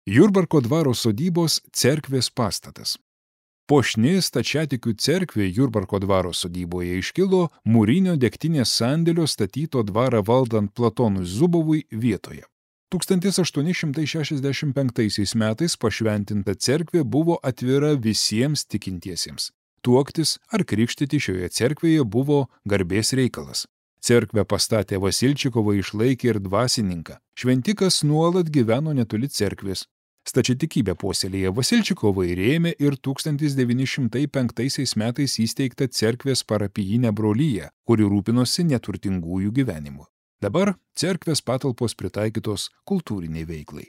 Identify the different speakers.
Speaker 1: Jurbarko dvaro sodybos cerkvės pastatas. Puošni stačiatikių cerkvė Jurbarko dvaro sodyboje iškilo mūrinio degtinės sandėlio statyto dvarą valdant Platonui Zubovui vietoje. 1865 metais pašventinta cerkvė buvo atvira visiems tikintiesiems. Tuoktis ar krikštyti šioje cerkvėje buvo garbės reikalas. Cerkvę pastatę Vasilčikovai išlaikė ir dvasininką. Šventikas nuolat gyveno netoli cerkvės. Stačiatikybę puoselėję Vasilčikovai rėmė ir 1905 metais įsteigtą cerkvės parapijinę broliją, kuri rūpinosi neturtingųjų gyvenimu. Dabar cerkvės patalpos pritaikytos kultūriniai veiklai.